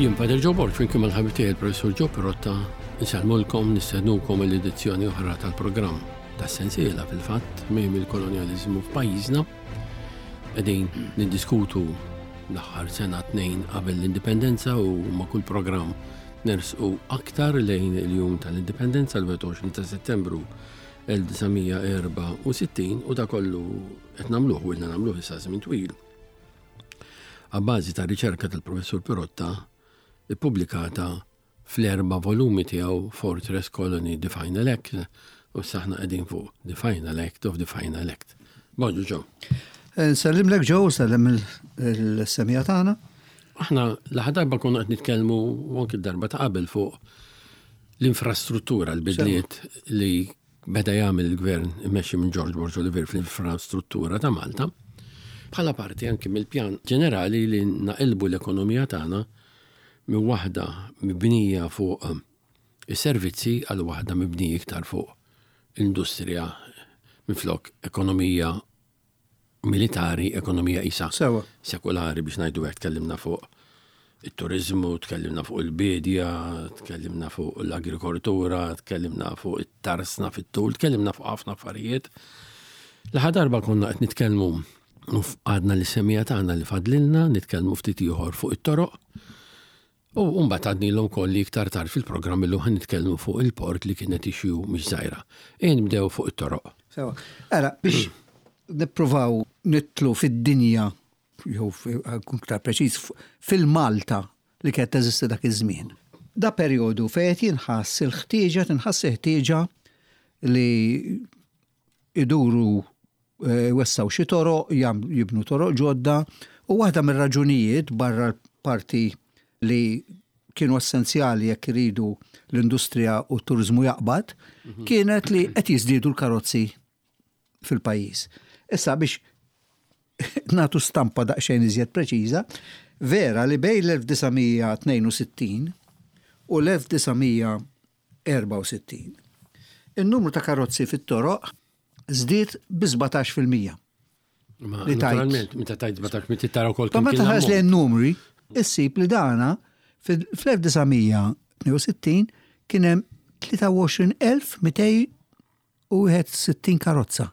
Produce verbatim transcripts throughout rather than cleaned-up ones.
Jien Pater Joe Borg, flimkien mal-ħabib tiegħi il-Professur Joe Pirotta, insellmulkom, nistednukom l-edizzjoni oħra tal-programm ta' sensiela fil-fatt tmiem il-kolonjaliżmu f'pajjiżna. Qegħdin niddiskutu l-aħħar sena tnejn qabel l-indipendenza u ma' kull programm nersqu aktar lejn il-jum tal-indipendenza, l-wieħed u għoxrin ta' Settembru elf disa' mija erbgħa u sittin, u da kollu qed nagħmluh u ilna nagħmluh issa żmien twil abbażi ta' riċerka tal-Professur Pirotta ippubblikata fl-erba' volumi tiegħu, Fortress Colony: The Final Act, u aħna qegħdin fuq The Final Act of the Final Act. Bonġu, Joe. Nsellimlek, Joe, sellem il-semmiegħa tagħna. Aħna l-aħħar darba konna qed nitkellmu, u anki darba ta' qabel, fuq l-infrastruttura, l-bidliet li beda jagħmel il-gvern immexxi minn George Borg Olivier fl-infrastruttura ta' Malta, bħala parti anki mill-pjan ġenerali li naqilbu l-ekonomija tagħna minn waħda mibnija fuq is-servizzi għal waħda mibnija iktar fuq industrija, minflok ekonomija militari, ekonomija isa Sewa. sekulari, biex ngħidu hekk. Tkellimna fuq it-turizmu, tkellimna fuq il-bidja, tkellimna fuq l-agrikoltura, tkellimna fuq it-tarsna fit-tul, tkellimna fuq ħafna affarijiet. L-aħħar darba konna qed nitkellmu u għadna lis-semmiegħa tagħna li fadlilna nitkellmu ftit ieħor fuq it-toroq. U mbagħad għednielhom ukoll li iktar tard fil-programm illum ħa nitkellmu fuq il-port, li kienet issue mhix żgħira. Ejja nibdew fuq it-toroq. Sewa. Ara, biex nippruvaw nidħlu fid-dinja, jew nkun iktar preċiż, fil-Malta li kienet teżisti dak iż-żmien. Da perjodu fejn qed jinħass il-ħtieġa, tinħass il-ħtieġa li iduru eh, wessaw xi toroq, jam- jibnu toroq ġodda, u waħda mir-raġunijiet, barra l-parti li kienu essenzjali jekk iridu l-industrija u t-turizmu jaqbad, kienet li qed jiżdiedu l-karozzi fil-pajjiż. Issa, biex nagħtu stampa daqsxejn iżjed preċiża, vera li bejn l-elf disa' mija tnejn u sittin u l-elf disa' mija erbgħa u sittin il-numru ta' karozzi fit-toroq żdied bi sbatax fil-mija. Ma Li tajt. naturalment, meta tajt batak meta tara wkoll Pa kemm meta kien ħares l-ammont. lejn numri, issib li dana fil-elf disa' mija tnejn u sittin kien hemm tlieta u għoxrin elf mitejn u wieħed u sittin karozza.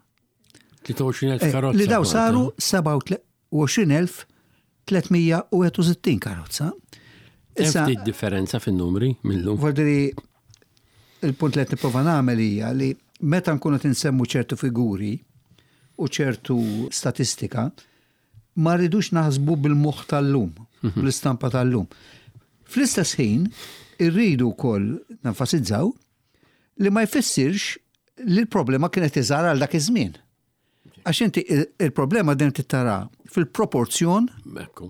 tlieta u għoxrin elf Eh, karozza. Li daw Malta. saru sebgħa u għoxrin elf tliet mija u wieħed u sittin karozza. Hemm Issa, ftit differenza fin-numri millum. Voldiri, il-punt li qed nipprova nagħmel hija li meta nkunu qed insemmu ċertu figuri u ċertu statistika, ma rridux naħsbu bil-moħħ tal-lum, bl-istampa tal-lum. Fl-istess ħin, irridu wkoll nenfasizzaw li ma jfissirx li l-problema kienet iżgħar għal dak iż-żmien. Għax inti il- il-problema dejjem tittara fil-proporzjon Ekku.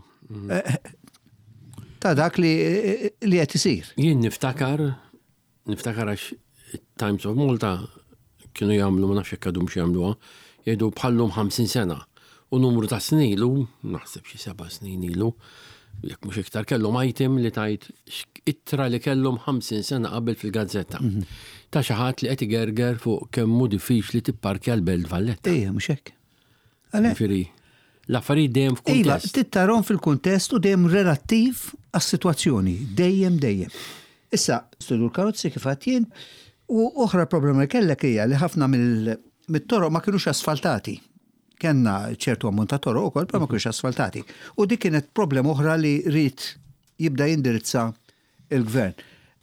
ta' dak li li qed isir. Jien niftakar, niftakar għax Times of Malta kienu jagħmlu, ma nafx jekk għadhom xi jagħmluha, jgħidu bħallum ħamsin sena. U numru ta' snin ilu, naħseb xi seba' snin ilu, jekk mhux iktar, kellhom item li tajt ittra li kellhom ħamsin sena qabel fil-gazzetta. Ta' xi ħadd li qed igerger fuq kemm hu diffiċli tipparkja l-Belt Valletta. Ejja, mhux hekk. Għalhekk Ġifieri, l-affarijiet dejjem Iva, f'kuntest. trid tarahom fil-kuntest u dejjem relattiv għas-sitwazzjoni, dejjem dejjem. Issa, żdiedu l-karozzi kif għedt jien, u oħra problema li kellek hija li ħafna mill- mit-toroq ma kienux asfaltati. Kenna ċertu ammont ta' toroq ukoll, però ma kienux asfaltati. U dik kienet problema oħra li ried jibda jindirizza il-gvern.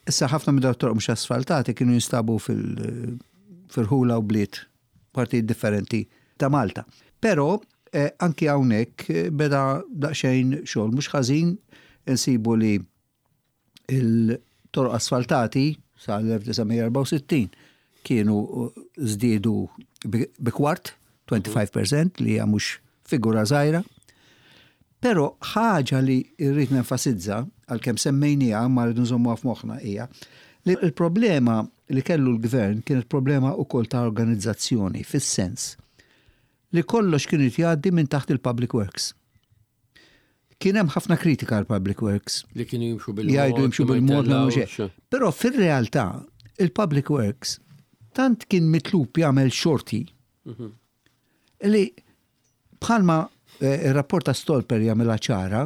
Issa, ħafna minn dawn toroq mhux asfaltati kienu jinstabu fil- fil-ħula u bliet partijiet differenti ta' Malta. Però eh, anki hawnhekk eh, beda daqsxejn xogħol mhux ħażin, insibu li il-toroq asfaltati sa l-elf disa' mija erbgħa u sittin kienu żdiedu bi bi kwart, twenty-five percent, li hija mhux figura żgħira. Però ħaġa li rrid nenfasizza, għalkemm semmejniha ma rridu nżommuha f'moħħna, hija li l-problema li kellu l-gvern kienet problema wkoll ta' organizzazzjoni, fis-sens li kollox kien jgħaddi minn taħt il-Public Works. Kien hemm ħafna kritika għal Public Works. Li kienu jimxu bil-mod. Jgħidu jimxu li ma bil-mod, ma mhux jtellgħux. hekk. Però fir-realtà il-Public Works tant kien mitlub jagħmel xorti li bħalma eh, il-rapport ta' Stolper jagħmilha ċara,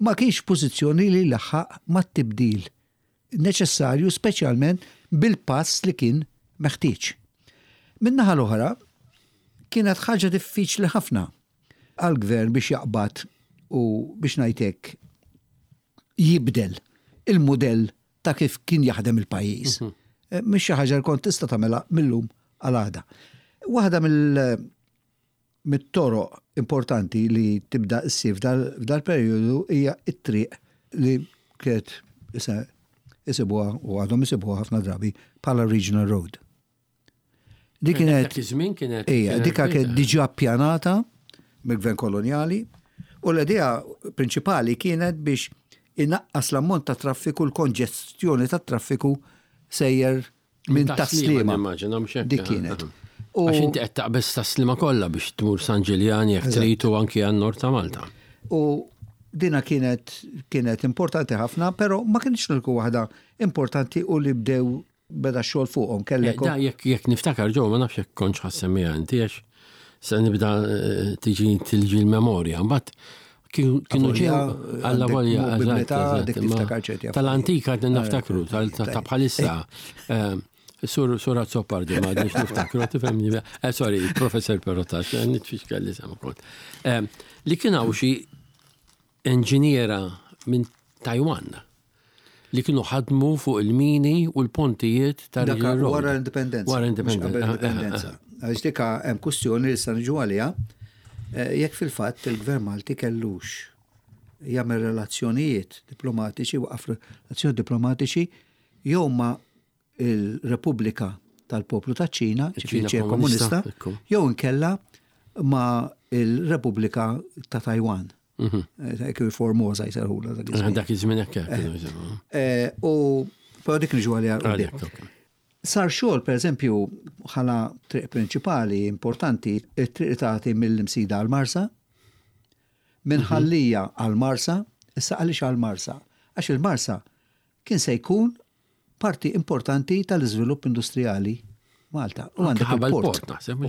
Ma kienx pożizzjoni li laħaq mat-tibdil neċessarju, speċjalment bil-pass li kien meħtieġ. Min-naħa l-oħra, kienet ħaġa diffiċli ħafna għal-gvern biex jaqbad u, biex ngħidlek, jibdel il-modell ta' kif kien jaħdem il-pajjiż. Mhm. Eh, mhix xi ħaġa li kont tista' tagħmilha millum għal għada. Waħda mill mit-toroq importanti li tibda ssir f'dal-perjodu hija it-triq li kienet isibuha u għadhom isibuha ħafna drabi bħala Regional Road. Dik kienet iż-żmien kienet. Ija, dika kienet diġà ppjanata mill-gvern koloniali u l-idea prinċipali kienet biex inaqqas l-ammont ta' traffiku, l-konġestjoni ta' traffiku sejjer minn Tas-Sliema. Dik kienet. Għax inti qed taqbeż Tas-Sliema kollha biex tmur San Ġiljan jekk trid u anki għan-nord ta' Malta. U dina kienet kienet importanti ħafna, però ma kienx l waħda importanti u li bdew beda xogħol fuqhom kellek. Eh, da jekk jekk niftakar ġew, ma nafx jekk kontx ħa ssemmiha inti, għax se nibda eh, tiġi tilġi l-memorja. Mbagħad kienu ġew alla volja tal-antika naftakru, ta' bħalissa. Eh, Sur Sur Azzopardi, ma għadniex niftakru, tifhemni. Eh, sorry, Professor Perotax, nitfix kelli sema kont. Li kien hawn xi enġiniera minn Taiwan li kienu ħadmu fuq il-mini u l-pontijiet ta' Wara l-indipendenza. Wara l-indipendenza. Għax dika hemm kwistjoni li sa niġu għaliha, eh, jekk fil-fatt il-Gvern Malti kellux jagħmel relazzjonijiet diplomatiċi, waqaf relazzjonijiet diplomatiċi jew ma' il-Repubblika tal-Poplu ta' Ċina, ċifieri komunista, jew inkella ma' il-Repubblika ta' Taiwan. Mhm. Eh, Formosa jserħula. Dak iż-żmien hekk. Eh, u però dik niġu għaliha. Sar xogħol, pereżempju, bħala triq prinċipali importanti, it-triq tagħti mill-Imsida għal-Marsa, minn mhm. Ħal Lija għal-Marsa. Issa għaliex għal-Marsa? Għax il-Marsa kien se jkun parti importanti tal-iżvilupp industrijali Malta. U għandek il-port. Naħseb,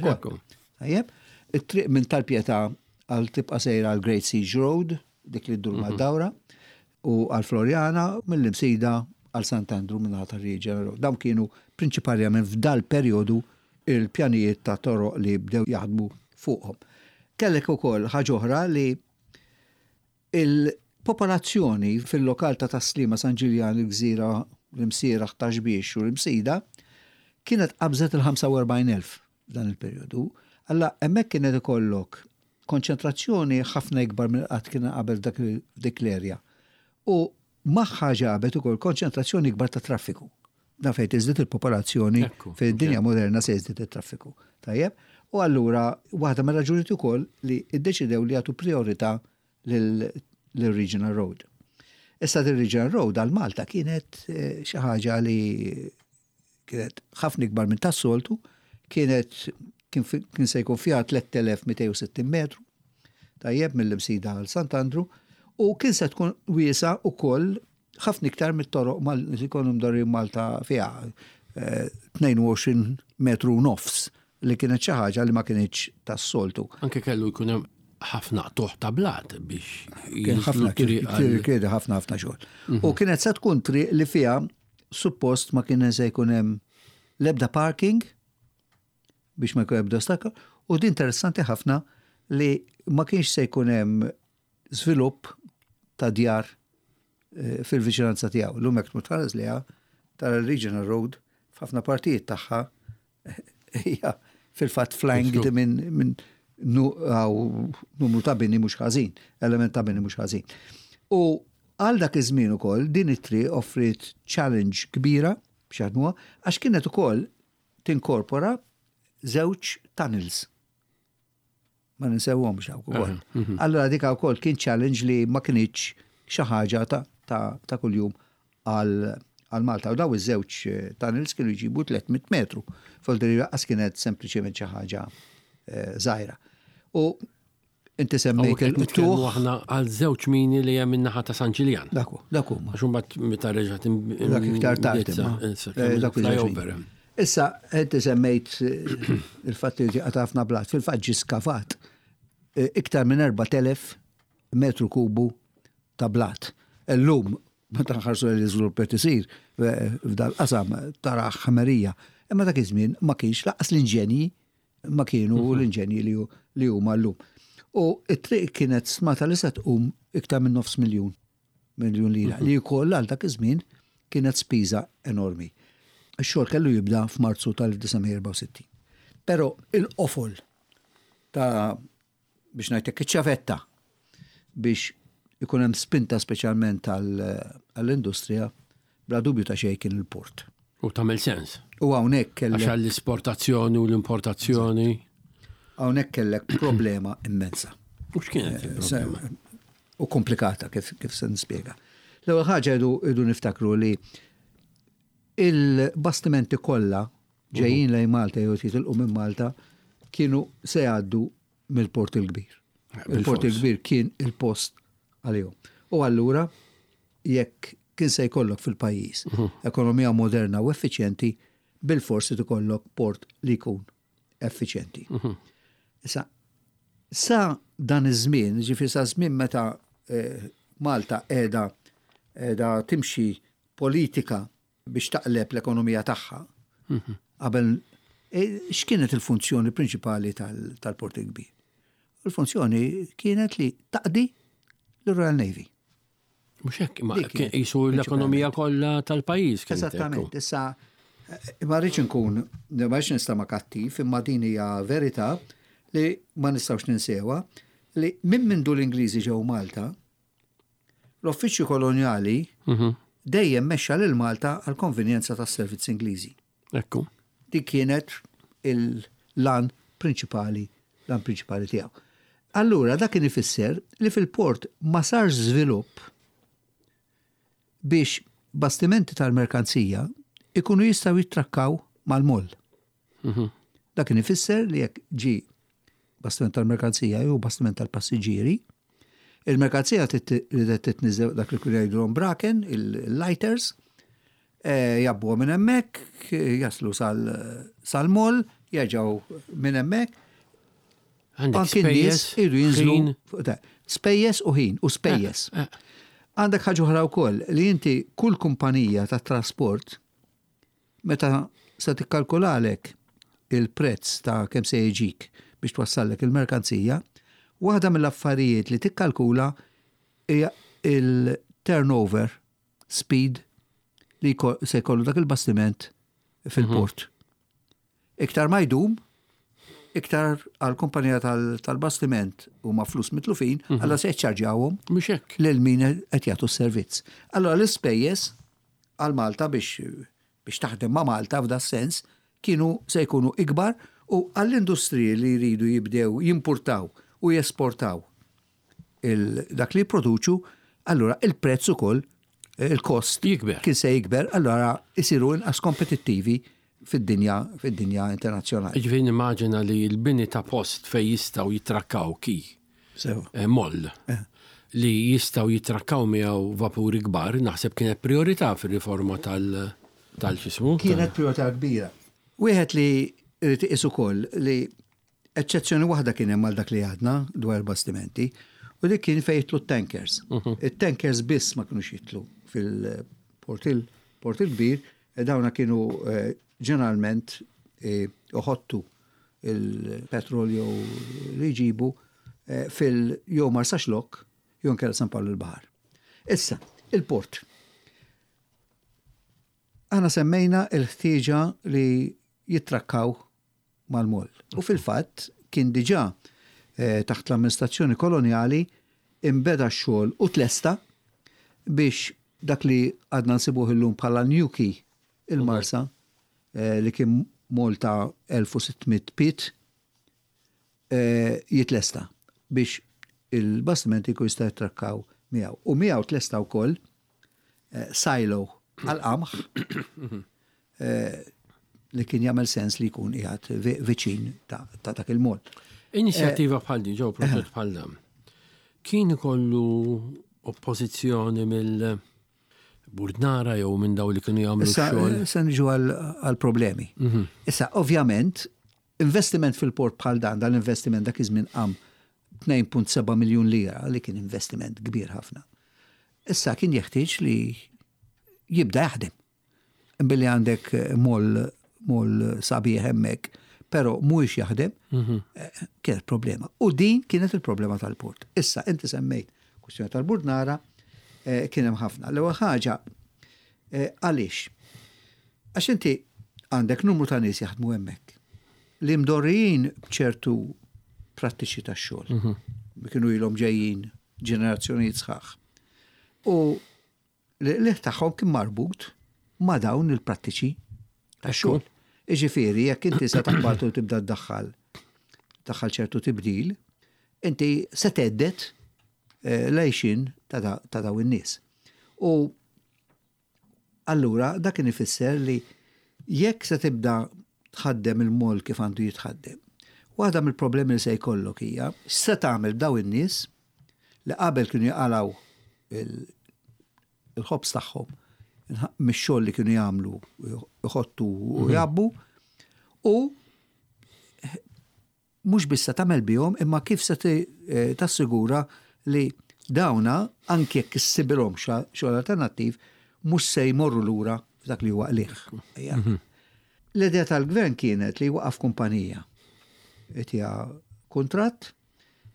Tajjeb, it-triq minn Tal-Pietà għal tibqa' sejra għal Great Siege Road, dik li ddur mhm. mad-dawra, u għal Floriana, mill-Imsida għal Sant'Andru minn ta' Regional Road. Dawn kienu prinċipalment f'dal perjodu il-pjanijiet ta' toroq li bdew jaħdmu fuqhom. Kellek ukoll ħaġa oħra, li il-popolazzjoni fil-lokal ta' Tas-Sliema, San Ġiljan, il-Gżira, l-Imsieraħ, Ta' Xbiex u l-Imsida kienet qabżet il-ħamsa u erbgħin elf f'dan il-perjodu. Alla hemmhekk kienet ikollok konċentrazzjoni ħafna ikbar minn qatt kien qabel dak dik l-erja. U magħha ġabet ukoll konċentrazzjoni ikbar ta' traffiku. Dan fejn tiżdied il-popolazzjoni fid-dinja moderna se jiżdied it-traffiku. Tajjeb? U allura waħda mir-raġunijiet ukoll li iddeċidew li jagħtu priorità lill-Regional Road. Issa il-Regional Road għal Malta kienet eh, xi ħaġa li kienet ħafna ikbar minn tas-soltu, kienet kien se jkun fiha tliet elef u mitejn u sittin metru, tajjeb, mill-Imsida għal Sant'Andru, u kien se tkun wiesgħa ukoll ħafna iktar mit-toroq li jkunu mdorri Malta fiha, tnejn u għoxrin eh, metru nofs, li kienet xi ħaġa li ma kienx tas-soltu. Anke kellu jkun hemm ħafna qtugħ ta' blat biex Kien ħafna, kien ħafna ħafna xogħol. Mhm. U kienet se tkun triq li fiha suppost ma kien se jkun hemm l-ebda parking biex ma jkun ebda ostakol, u din interessanti ħafna li ma kienx se jkun hemm żvilupp ta' djar eh, fil-viċinanza tiegħu. Llum hekk tmur tħares liha, tara Regional Road f'ħafna partijiet tagħha hija fil-fatt flanked minn min numru ta' bini mhux ħażin, element ta' bini mhux ħażin. U għal dak iż-żmien ukoll din it-triq offrit challenge kbira biex jaħdmuha, għax kienet ukoll tinkorpora żewġ tunnels. Ma ninsewhomx dawk ukoll. Mhm. Allura dik ukoll kien challenge li ma kienx xi ħaġa ta', ta, ta' kuljum għal għal Malta. U daw iż-żewġ eh, tunnels kienu jġibu tliet mitt metru. Voldiri lanqas kienet sempliċement xi ħaġa eh, żgħira. U inti semmejt il-tuħ. Aħna għal żewġ mini li hemm min-naħa ta' San Ġiljan. Daku, daku. Għax imbagħad meta reġgħet Dak iktar tard. Eh, dak flyover. Issa, inti semmejt il-fatt li ħafna blat, fil-fatt ġi skavat iktar minn erbat elef metru kubu ta' blat. Illum, meta nħarsu l-iżvilupp qed isir f'dal-qasam tara ħmerija. Imma dak iż-żmien ma kienx lanqas l-inġenji ma kienu mhm. l-inġenji li huma llum. U it-triq kienet stmata li se tqum iktar minn nofs miljun miljun lira mhm. li wkoll għal dak iż-żmien kienet spiża enormi. Ix-xogħol kellu jibda f'Marzu tal-elf disa' mija erbgħa u sittin. Però il-qofol ta' biex ngħidlek iċ-ċavetta biex ikun hemm spinta speċjalment għall-industrija, bla dubju ta' xejn kien il-port. U tagħmel sens. U hawnhekk kellek. Għax l-esportazzjoni u l-importazzjoni. Hawnhekk kellek problema immensa. U x'kienet eh, il-problema? U komplikata kif, kif se nispjega. L-ewwel ħaġa jdu niftakru li il-bastimenti kollha ġejjin lejn Malta jew jitilqu minn Malta kienu se jgħaddu mill-Port il-Kbir. Il-Port il-Kbir kien il-post għalihom. U allura jekk kien se jkollok fil-pajjiż mhm. ekonomija moderna u effiċjenti, bil-forsi tikollok port li jkun effiċjenti. Mhm. Issa, sa dan iż-żmien, ġifieri sa żmien meta eh, Malta qiegħda qiegħda timxi politika biex taqleb l-ekonomija tagħha. Mhm. Qabel eh, x'kienet il-funzjoni prinċipali tal-Port il-Kbir? Il-funzjoni kienet li taqdi l-Royal Navy. Mhux hekk, ma jisu l-ekonomija kollha tal-pajjiż. Eżattament, issa eh, ma rridx nkun, ma rridx nistama kattiv, imma din hija verità li ma nistgħux ninsewha li minn mindu l-Ingliżi ġew Malta, l-uffiċċju kolonjali mhm. dejjem mexxa lil Malta għal konvenjenza tas-servizz Ingliżi. Ekku. Dik kienet il-lan prinċipali, lan prinċipali tiegħu. Allura dak kien ifisser li fil-port ma sarx żvilupp biex bastimenti tal-merkanzija ikunu jistgħu jitrakkaw mal-moll. Mhm. Dak kien ifisser li jekk ġi bastiment tal-merkanzija jew bastiment tal-passiġġieri, il-merkanzija titniżel dak li kienu jgħidulhom braken, il-lighters, eh, jgħabbu minn hemmhekk, jaslu sal-moll, jerġgħu minn hemmhekk. Anki n-nies iridu jinżlu spejjeż u ħin u spejjeż. Eh, eh. Għandek ħaġa oħra wkoll li inti kull kumpanija ta' trasport meta se tikkalkulalek il-prezz ta' kemm se jiġik biex twassallek il-merkanzija, waħda mill-affarijiet li tikkalkula hija il-turnover speed li se jkollu dak il-bastiment fil-port. Mhm. Iktar ma jdum, iktar għal-kumpanija tal-bastiment u ma flus mitlufin, mhm. għalla se ċarġawhom lil min qed jagħtu s-servizz. Allora l-ispejjeż għal Malta biex biex taħdem ma' Malta f'da sens kienu se jkunu ikbar u għall-industriji li jridu jibdew jimpurtaw u jesportaw dak li jipproduċu, allura il-prezz ukoll il-kost jikber. Kien se jikber, allura isiru inqas kompetittivi fid-dinja fid-dinja internazzjonali. Ġifieri nimmaġina li l-bini ta' post fej jistgħu jitrakkaw ki eh, moll eh. li jistgħu jitrakkaw miegħu vapuri kbar, naħseb kienet priorità fir-riforma tal- tal-xismu. Kienet priorità kbira. Wieħed li rrid iqis ukoll li eċċezzjoni waħda kien hemm għal dak li għadna dwar bastimenti u dik kien fejn jidħlu tankers. Mhm. Il-tankers biss ma kienux jidħlu fil-port il-port il-kbir, e dawna kienu eh, ġeneralment eh, uħottu il-petrolju li jġibu eh, fil jew Marsaxlokk jew nkella San Pawl il-Baħar. Issa, il-port. Aħna semmejna il-ħtieġa li jitrakkaw mal-moll. U fil-fatt kien diġà eh, taħt l-amministrazzjoni koloniali imbeda x-xogħol u tlesta biex dak li għadna nsibuh illum bħala New Quay il-Marsa eh, li kien moll ta' elf u sitt mitt pied eh, jitlesta biex il-bastimenti jkun jista' jitrakkaw miegħu. U miegħu tlesta wkoll eh, silo għal-qamħ eh, li kien jagħmel sens li jkun qiegħed viċin ta' dak il-moll. Inizjattiva bħal din, ġew proġett bħal dan. Kien ikollu oppożizzjoni mill Burdnara jew minn daw li kienu jagħmlu xogħol? Se niġu għal problemi. Mhm. Issa, ovvjament, investiment fil-port bħal dan, dan l-investiment dak iż-żmien qam tnejn punt seba' miljun lira li kien investiment kbir ħafna. Issa kien jeħtieġ li jibda jaħdem. Billi għandek moll moll sabiħ hemmhekk, però mhuwiex jaħdem, mhm. eh, kienet problema. U din kienet il-problema tal-port. Issa inti semmejt kwistjoni tal-Burnara, eh, kien hemm ħafna. L-ewwel ħaġa, eh, għaliex? Għax inti għandek numru ta' nies jaħdmu hemmhekk li mdorrijin b'ċertu prattiċi tax-xogħol. Mhm. Kienu ilhom ġejjin ġenerazzjonijiet sħaħ. U l-qligħ tagħhom kien marbut ma' dawn il-prattiċi tax-xogħol. Iġifieri, jekk inti se taqbad u tibda ddaħħal daħħal ċertu tibdil, inti se thedded eh, l-għajxien ta' dawn in-nies. U allura dak kien ifisser li jekk se tibda tħaddem il-moll kif għandu jitħaddem, waħda mill-problemi li se jkollok hija se tagħmel daw in-nies li qabel kienu jaqalaw il-ħobż tagħhom mix-xogħol li kienu jagħmlu, iħottu u mhm. jgħabbu, u mhux biss se tagħmel bihom, imma kif se eh, tassigura li dawna, anke jekk issibilhom xogħol alternattiv, mhux se jmorru lura f'dak li huwa qligħ. Mhm. L-idea tal-gvern kienet li waqaf kumpanija. Itiha kuntratt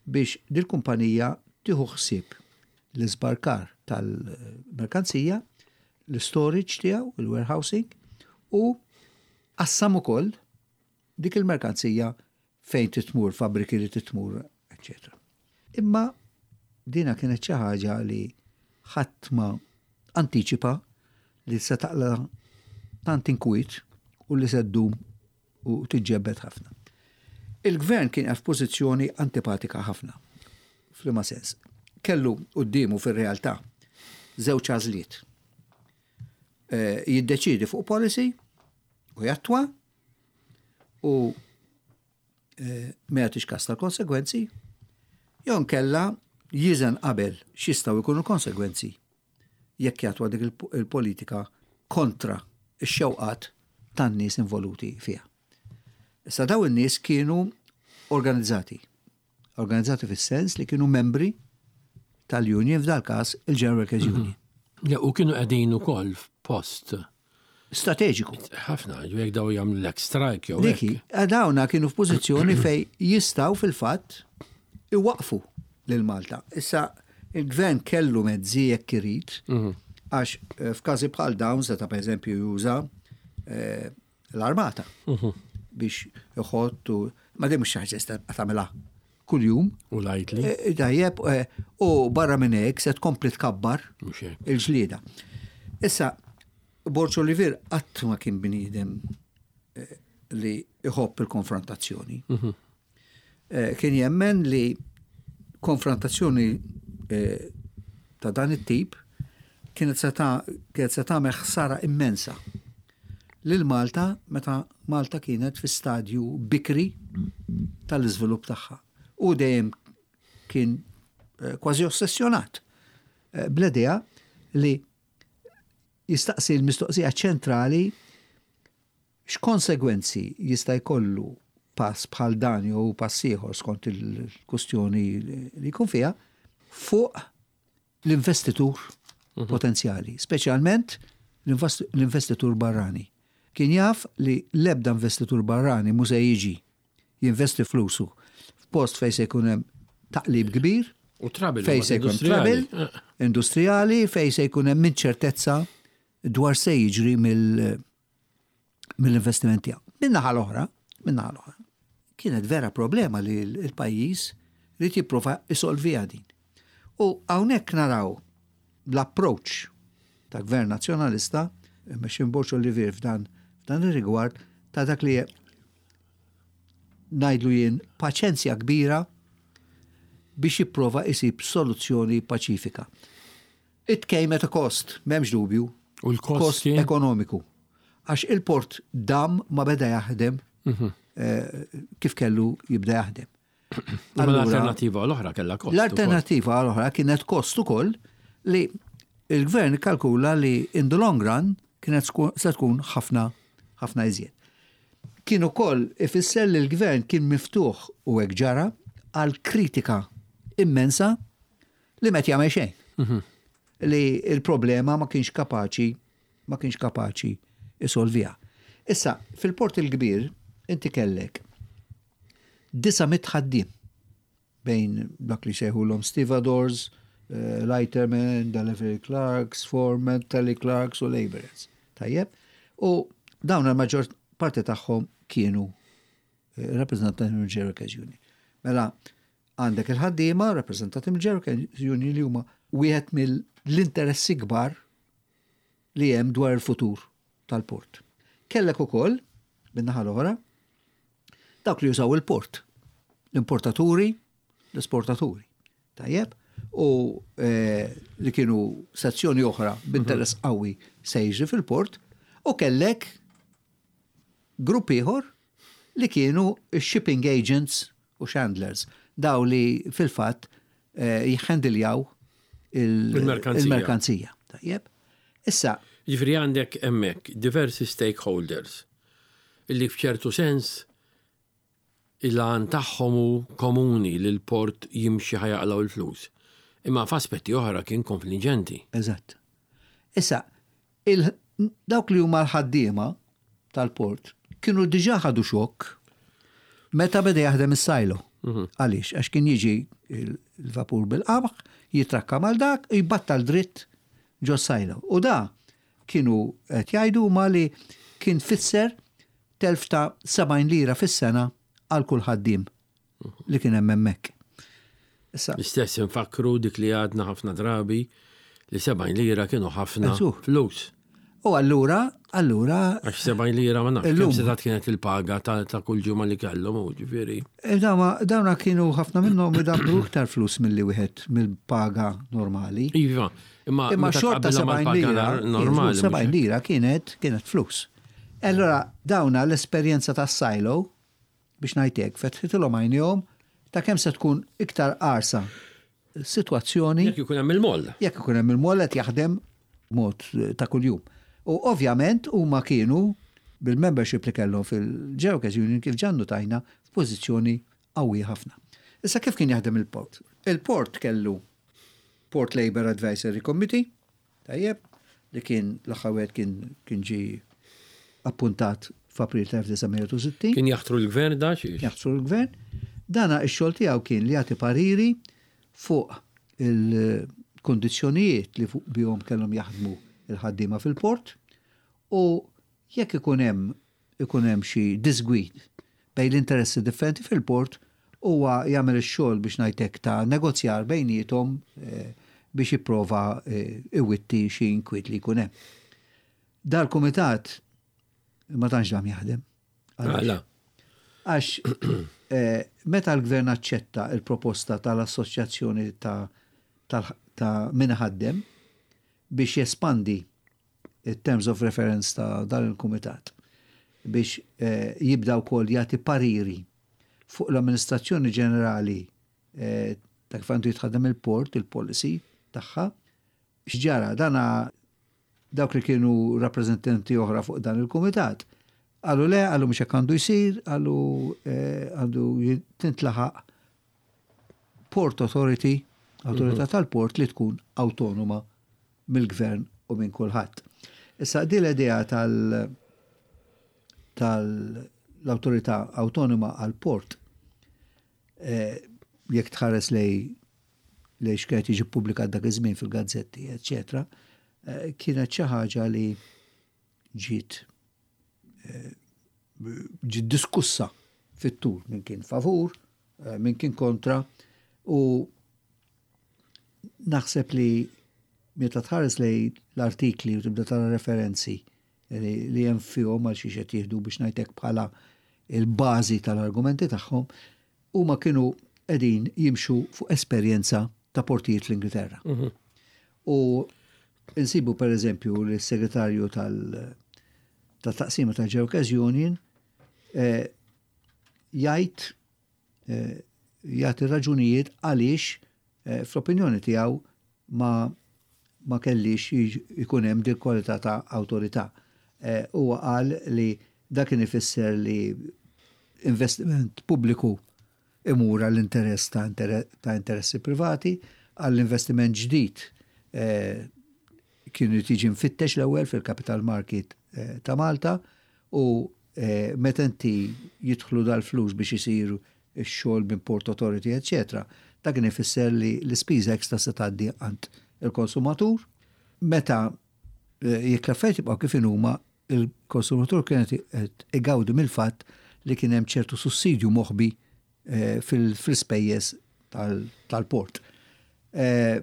biex dil-kumpanija tieħu ħsieb l-iżbarkar tal-merkanzija, l-storage tiegħu, il-warehousing, u qassam ukoll dik il-merkanzija fejn titmur, fabbriki li titmur, eċċetera. Imma dina kienet xi ħaġa li ħadd ma antiċipa li se taqla tant inkwiet u li se ddum u tiġġebbed ħafna. Il-gvern kien f'pożizzjoni antipatika ħafna. F'liema sens? Kellu quddiemu fir-realtà żewġ għażliet. Eh, jiddeċidi fuq policy u jattwa u eh, ma jagħtix kas tal-konsegwenzi, jew nkella jiżen qabel x'jistgħu jkunu konsegwenzi jekk jattwa dik il-politika kontra ix-xewqat tan-nies involuti fiha. Issa daw in-nies kienu organizzati. Organizzati fis-sens li kienu membri tal-union, f'dal każ il-General Workers mhm. Union. Ja, u kienu qegħdin ukoll f'post strateġiku. Ħafna, jekk daw jagħmlu l strike jew. Diki, dawna kienu f'pożizzjoni fej jistgħu fil-fatt iwaqfu lil Malta. Issa il-gvern kellu mezzi jekk irid, mhm. għax eh, f'każi bħal dawn seta' pereżempju juża eh, l-armata mhm. biex iħottu, ma din mhux xi ħaġa tagħmilha kuljum. U lajtli. Eh, tajjeb, u barra minn hekk se tkompli tkabbar il-ġlieda. Issa, Borg Olivier qatt ma kien bniedem li iħobb il-konfrontazzjoni. Mhm. Kien jemmen li konfrontazzjoni ta' dan it-tip kienet se tagħmel ħsara immensa lil Malta meta Malta kienet fi stadju bikri tal-iżvilupp tagħha. U dejjem kien eh, kważi ossessjonat eh, bl-idea li jistaqsi l-mistoqsija ċentrali x'konsegwenzi jista' jkollu pass bħal dan jew pass ieħor skont il-kustjoni li jkun fiha fuq l-investitur mhm. potenzjali, speċjalment l-investitur barrani. Kien jaf li l-ebda investitur barrani mhu se jiġi jinvesti flusu f'post fejn se jkun hemm taqlib kbir, u trouble fejn se jkun trouble eh. industrijali, fejn se jkun hemm inċertezza dwar se jiġri mill-investiment tiegħu. Min-naħa l-oħra, min-naħa l-oħra, kienet vera problema li l-pajjiż li jipprova isolviha din. U hawnhekk naraw l-approach ta' Gvern Nazzjonalista mmexxi minn Borg Olivier f'dan f'dan ir-rigward ta' dak li ngħidlu jien paċenzja kbira biex jipprova isib soluzzjoni paċifika. It came at a cost, m'hemmx dubju. U l-kost ekonomiku. Għax il-port dam ma beda jaħdem mhm. eh, kif kellu jibda jaħdem. L-alternativa l-oħra kellha kost. L-alternativa l-oħra kienet kost ukoll li il-gvern kalkula li in the long run kienet se tkun ħafna ħafna iżjed. Kien ukoll ifisser li l-gvern kien miftuħ u hekk ġara għal kritika immensa li met jagħmel xejn. Mhm. li il-problema ma kienx kapaċi ma kienx kapaċi isolviha. Issa, fil-Port il-Kbir, inti kellek disa' mitt ħaddiem bejn dak li sejħulhom stevedores, uh, lightermen, delivery clerks, foremen, tally clerks u laborers. Tajjeb? U dawn il-maġġor parti tagħhom kienu eh, rappreżentanti mill-General Union. Mela, għandek il-ħaddiema rappreżentati mill-General Union li huma wieħed mill-interessi kbar li hemm dwar il-futur tal-port. Kellek ukoll, min-naħa l-oħra, dawk li jużaw il-port, l-importaturi, l-esportaturi. Tajjeb? U eh, li kienu sezzjoni oħra b'interess qawwi se jiġri fil-port, u kellek grupp ieħor li kienu shipping agents u chandlers, daw li fil-fatt eh, jħendiljaw il- Il-merkanzija. Il-merkanzija. Tajjeb? Issa, Ġifieri għandek hemmhekk diversi stakeholders illi f'ċertu sens il-għan tagħhom hu komuni li l-port jimxi ħa jaqilgħu il-flus. Imma f'aspetti oħra kien konfliġenti. Eżatt. Issa, il, dawk li huma l-ħaddiema tal-port kienu diġà ħadu xokk meta beda jaħdem is-silo. Għaliex? Għax kien jiġi il-vapur bil-qamħ, jitrakka mal dak, jbattal dritt ġo silo. U da kienu qed jgħidu ma li kien fisser telf ta' sebgħin lira fis-sena għal kull ħaddiem li kien hemm hemmhekk. Issa, L-istess infakru dik li għadna ħafna drabi li sebgħin lira kienu ħafna Eżu. flus. U allura, allura, Għax sebgħin lira ma nafx, Illum. kemm setat kienet il-paga ta' ta' kull ġimgħa li kellhom u ġifieri. E dawna, dawna kienu ħafna minnhom idabbru iktar flus milli wieħed mill-paga normali. Iva, imma Imma meta xorta tqabbilha sebgħin mal-paga lira, normali. mhux sebgħin lira kienet kienet flus. Allora dawna l-esperjenza ta' silo biex ngħidlek fetħitilhom għajnejhom ta' kemm se tkun iktar qarsa situazzjoni Jekk ikun hemm il-moll. Jekk ikun hemm il-moll qed jaħdem mod ta' kuljum. U ovvjament huma kienu bil-membership li kellhom fil-Workers Union, kif ġa nnotajna, f'pożizzjoni qawwija ħafna. Issa, kif kien jaħdem il-port? Il-port kellu Port Labour Advisory Committee, tajjeb, li kien l-aħħar wieħed kien kien ġi appuntat f'April tal-elf disa' mija u sittin. Kien jaħtru l-gvern da xiex? Jaħtru l-gvern. Dana ix-xogħol tiegħu kien li jagħti pariri fuq il-kondizzjonijiet li fuq bihom kellhom jaħdmu il-ħaddiema fil-port u jekk ikun hemm ikun hemm xi disgwid bejn l-interessi differenti fil-port, huwa jagħmel ix-xogħol biex ngħidlek ta' negozjar bejniethom eh, biex jipprova eh, iwitti xi inkwiet li jkun hemm. Dal-kumitat ma tantx dam jaħdem. Għaliex? Għala. Għax eh, meta l-gvern aċċetta il-proposta tal-assoċjazzjoni ta' tal- ta' min ħaddem biex jespandi il-terms of reference ta' dan il-kumitat biex eh, jibda wkoll jagħti pariri fuq l-amministrazzjoni ġenerali eh, ta' kif għandu jitħaddem il-port, il-policy tagħha, x'ġara? Dana dawk li kienu rappreżentanti oħra fuq dan il-kumitat qalu le, qalu mhux hekk għandu jsir, qalu eh, għandu tintlaħaq Port Authority, autorità tal-port li tkun autonoma mill-gvern u minn kulħadd. Issa, di l-idea tal tal-autorità autonoma għal-port, eh, jekk tħares lej lej x'kienet jiġi ppubblikat dak iż-żmien fil-gazzetti, eċċetera, eh, kienet xi ħaġa li ġiet eh, ġiet diskussa fit-tul, min kien favur, eh, min kien kontra, u naħseb li meta tħares lej l-artikli u tibda tara referenzi li, li hemm fihom għal xi qed jieħdu biex ngħidlek bħala il-bażi tal-argumenti tagħhom, huma kienu qegħdin jimxu fuq esperjenza ta' portijiet l-Ingilterra. U insibu, per eżempju, l-segretarju tal- tal-taqsima tal-Workers Union eh, jgħid eh, jagħti raġunijiet għaliex eh, fl-opinjoni tiegħu ma ma kellix jiġ- ikun hemm dik kwalità ta' awtorità. Eh, Huwa qal li dak kien ifisser li investiment pubbliku imur għall-interess ta', inter ta' interessi privati, għall-investiment ġdid eh, kienu tiġi mfittex l-ewwel fil-capital market eh, ta' Malta u eh, meta inti jidħlu dal-flus biex isiru x-xogħol minn Port Authority, eċċetera. Dak kien ifisser li l-ispiża ekstra se tgħaddi għand il-konsumatur. Meta eh, jekk l-affarijiet jibqgħu kif huma, il-konsumatur kienet qed igawdi mill-fatt li kien hemm ċertu sussidju moħbi eh, fil-spejjeż tal-port. Eh,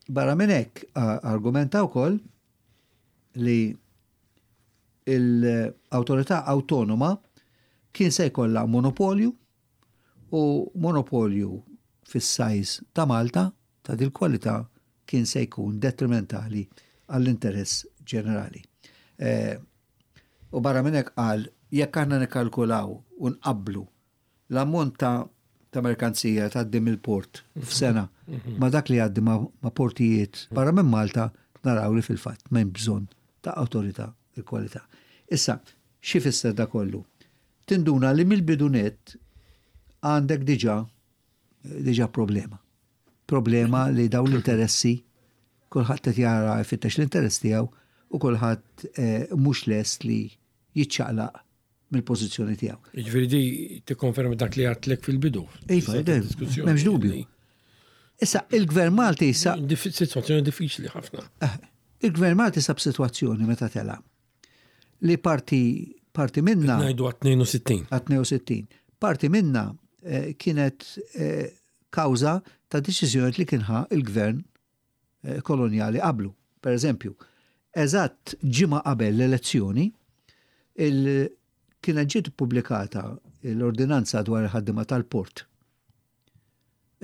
barra minn hekk argumenta wkoll li l-awtorità awtonoma kien se jkollha monopolju u monopolju fis-size ta' Malta ta' dil kwalità kien se jkun detrimentali għall-interess ġenerali. Eh, u barra minn hekk qal jekk aħna nikkalkulaw u nqablu l-ammont ta' ta' merkanzija tgħaddi mill-port f'sena ma' dak li għaddi ma', ma' portijiet barra minn Malta, naraw li fil-fatt m'hemm bżonn ta' awtorità il-kwalità. Issa, xi fisser da kollu? Tinduna li mill-bidu nett għandek diġà diġà problema. Problema li dawn l-interessi, kulħadd qed jara jfittex l-interess tiegħu u kulħadd eh, mhux lest li jiċċaqlaq mill-pożizzjoni tiegħu. Jiġifieri di tikkonferma dak li għedtlek fil-bidu. Iva, m'hemmx dubju. Issa, il-Gvern Malti issa Situazzjoni diffiċli ħafna. Eh, il-Gvern Malti sab situazzjoni meta tela li parti parti minna Ngħidu għat tnejn u sittin. Għat tnejn u sittin. Parti minna eh, kienet eh, kawża ta' deċiżjoni li kien ħa il-gvern eh, koloniali qablu. Per eżempju, eżatt ġimgħa qabel l-elezzjoni, il- kienet ġiet pubblikata l-ordinanza dwar il-ħaddima tal-port.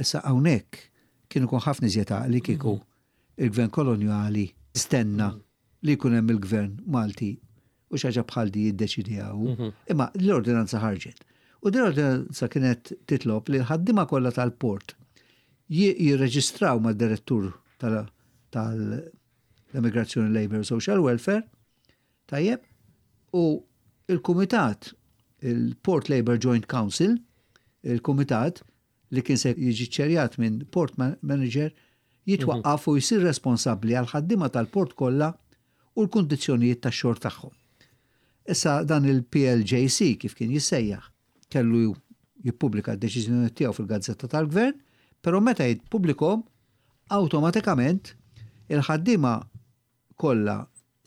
Issa hawnhekk kien ikun ħafna iżjed li kieku il-gvern koloniali stenna li jkun hemm il-gvern Malti u xi ħaġa bħal di jiddeċidiha hu. Imma l-ordinanza ħarġet. U din l-ordinanza kienet titlob li l-ħaddima kollha tal-port ji- jirreġistraw mad-direttur tal-Immigrazzjoni, Labor, Social Welfare, tajjeb, u il-Kumitat, il-Port Labor Joint Council, il-Kumitat li kien se jiġi ċerjat minn Port Manager, jitwaqqaf u jisir responsabli għal ħaddima tal-port kollha u l-kundizzjonijiet tax-xogħol tagħhom. Issa dan il-P L J C, kif kien jissejjaħ, kellu jippubblika d-deċiżjoni tiegħu fil-Gazzetta tal-Gvern, però meta jippubblikhom, awtomatikament il-ħaddiema kollha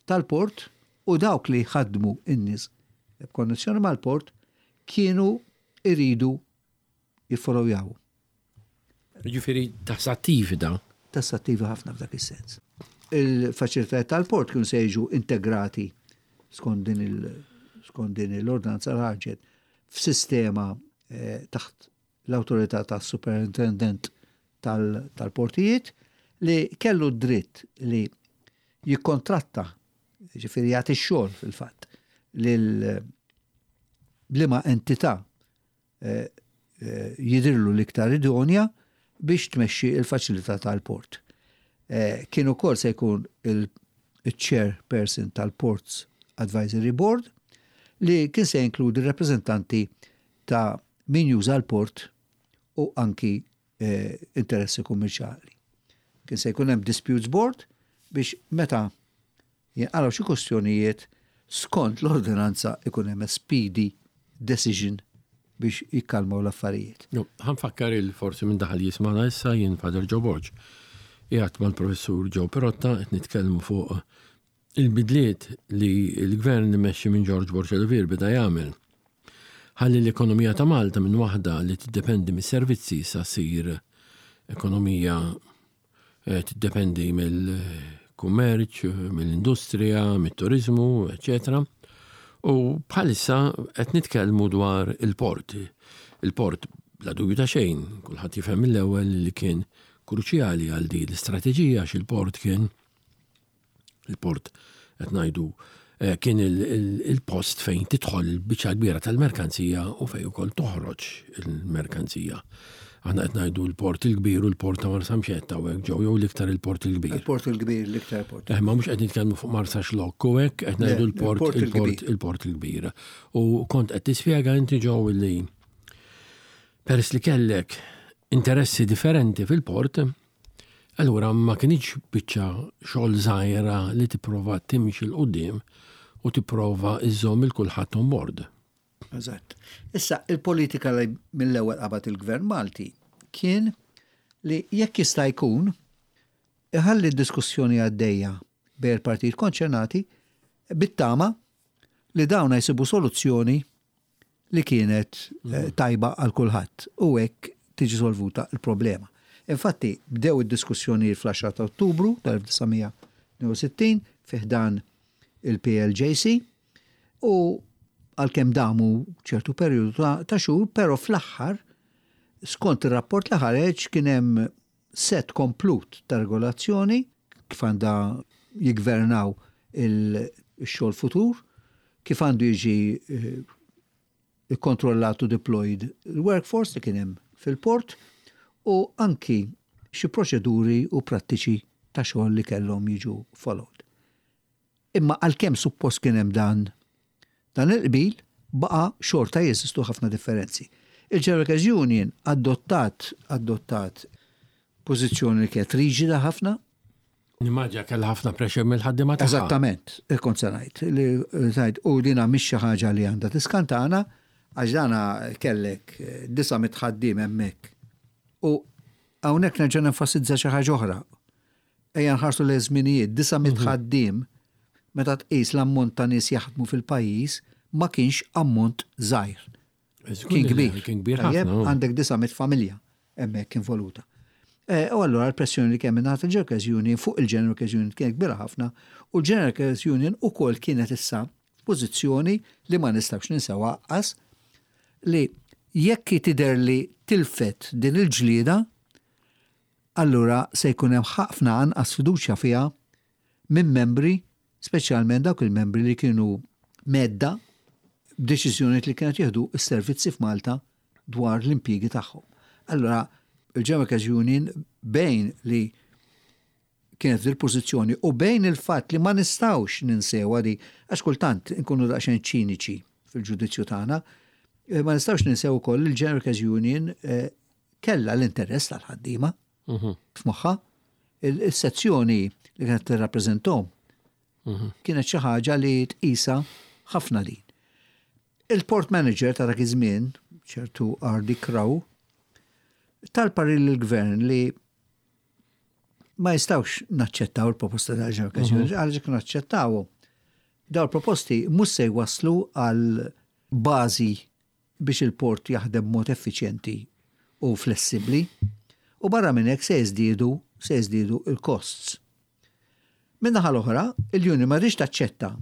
tal-port u dawk li ħadmu in-nies b'konnessjoni mal-port kienu iridu jiffollowjaw. Jiġifieri tassattivi da. Tassattivi ħafna f'dak is-sens. Il-faċilitajiet tal-port kienu se jiġu integrati skont din il skont din l-ordinanza li ħarġet f'sistema eh, taħt l-awtorità tas-superintendent tal-portijiet li kellu dritt li jikkontratta, ġifieri jagħti xogħol fil-fatt lil liema entità eh, eh, jidirlu l-iktar idonja biex tmexxi il-faċilità tal-port. Eh, kien ukoll se jkun il-chairperson tal-Ports Advisory Board li kien se jinkludi rappresentanti ta' min juża l-port u anki eh, interessi kummerċjali. Kien se jkun hemm disputes board biex meta jinqalgħu xi kwestjonijiet, skont l-ordinanza ikun hemm speedy decision biex jikkalmaw l-affarijiet. No, ħa nfakkar il-forsi min daħal jismagħna issa, jien Father Joe Borg. Qiegħed mal-professur Joe Perotta, qed nitkellmu fuq il-bidliet li l-gvern li mexxi minn George Borg Olivier beda jagħmel. Ħalli l-ekonomija ta' Malta minn waħda li tiddependi mis-servizzi sa ssir ekonomija eh, tiddependi mill-kummerċ, mill-industrija, mit-turizmu, eccetera. U bħalissa qed nitkellmu dwar il-port. Il-port, bla dubju ta' xejn, kulħadd jifhem mill-ewwel li kien kruċjali għal di l-istrateġija għax il-port kien il-port qed ngħidu eh, kien il-post fejn tidħol il-biċċa kbira tal-merkanzija u fejn ukoll toħroġ il-merkanzija. Aħna qed ngħidu l-port il-kbir u l-port ta' Marsamxett u hekk ġew, jew l-iktar il-port il-kbir? Il-port il-kbir, l-iktar port. Eh, ma mhux qed nitkellmu fuq Marsaxlokk u hekk, qed ngħidu l-port il-port il-port il-kbir. U kont qed tispjega inti, Joe, li peress li kellek interessi differenti fil-port, Allura ma kinitx biċċa xogħol żgħira li tipprova timxi 'l quddiem u tipprova iżżomm il kulħadd on board. Eżatt. Issa, il-politika li mill-ewwel qabad il-Gvern Malti kien li jekk jista' jkun iħalli d-diskussjoni għaddejja bejn il-partijiet konċernati bit-tama li dawn jsibu soluzzjoni li kienet eh, tajba għal kulħadd u hekk tiġi solvuta l-problema. Infatti, bdew id-diskussjoni fl-għaxra ta' Ottubru tal-elf disa' mija tnejn u sittin fi ħdan il-P L J C u għalkemm damu ċertu periodu ta', ta xhur, però fl-aħħar, skont ir-rapport li ħareġ, kien hemm set komplut ta' regolazzjoni kif għandha jigvernaw il-xogħol futur, kif għandu jiġi eh, ikkontrollat u deployed il-workforce li kien hemm fil-port u anki xi proċeduri u prattiċi ta' xogħol li kellhom jiġu followed. Imma għalkemm suppost kien hemm dan dan il-qbil, baqa xorta jeżistu ħafna differenzi. Il-General Workers Union adottat adottat pożizzjoni li kienet riġida ħafna. Nimmaġina kellha ħafna pressure mill-ħaddiema tagħha. Eżattament, kont se ngħid li ngħid u dina mhix xi ħaġa li għandha tiskantana, għax dana kellek disa' mitt ħaddiem hemmhekk. U hawnhekk nerġa' nenfasizza xi ħaġa oħra. Ejja nħarsu li żminijiet, disa' mitt ħaddiem, meta tqis l-ammont ta' nies jaħdmu fil-pajjiż, ma kienx ammont żgħir. Kien kbir. Kien kbir Tajjeb, ħafna. għandek disa' mitt familja hemmhekk involuta. Eh, U allura l-pressjoni li kemm mingħata il-General Workers Union fuq il-General Workers Union kienet kbira ħafna u l-General Workers Union ukoll kienet issa f'pożizzjoni li ma nistgħux ninsew anqas li jekk tidher li tilfet din il-ġlieda, allura se jkun hemm ħafna anqas fiduċja fiha minn membri, speċjalment dawk il-membri li kienu mhedda b'deċiżjonijiet li kienet jieħdu s-servizzi f'Malta dwar l-impjiegi tagħhom. Allura, il-General Workers Union, bejn li kienet fil pożizzjoni u bejn il-fatt li ma nistgħux ninsew di, għax kultant nkunu daqsxejn ċiniċi fil-ġudizzju tagħna, eh, ma nistgħux ninsew ukoll il General Workers Union eh, kella l-interess tal-ħaddiema f'moħħha. Il-sezzjoni li kienet tirrappreżentahom kienet xi ħaġa li tqisa ħafna din. Il-port manager ta' dak iż-żmien, ċertu R D. Crow, talab lill-gvern li ma jistgħux naċċettaw il-proposta ta' General Workers Union, għaliex jekk naċċettaw daw il-proposti mhux se jwaslu għal bażi biex il-port jaħdem mod effiċjenti u flessibbli u barra minn hekk se jiżdiedu se jiżdiedu il-costs. Min-naħa l-oħra, il-union ma riditx taċċetta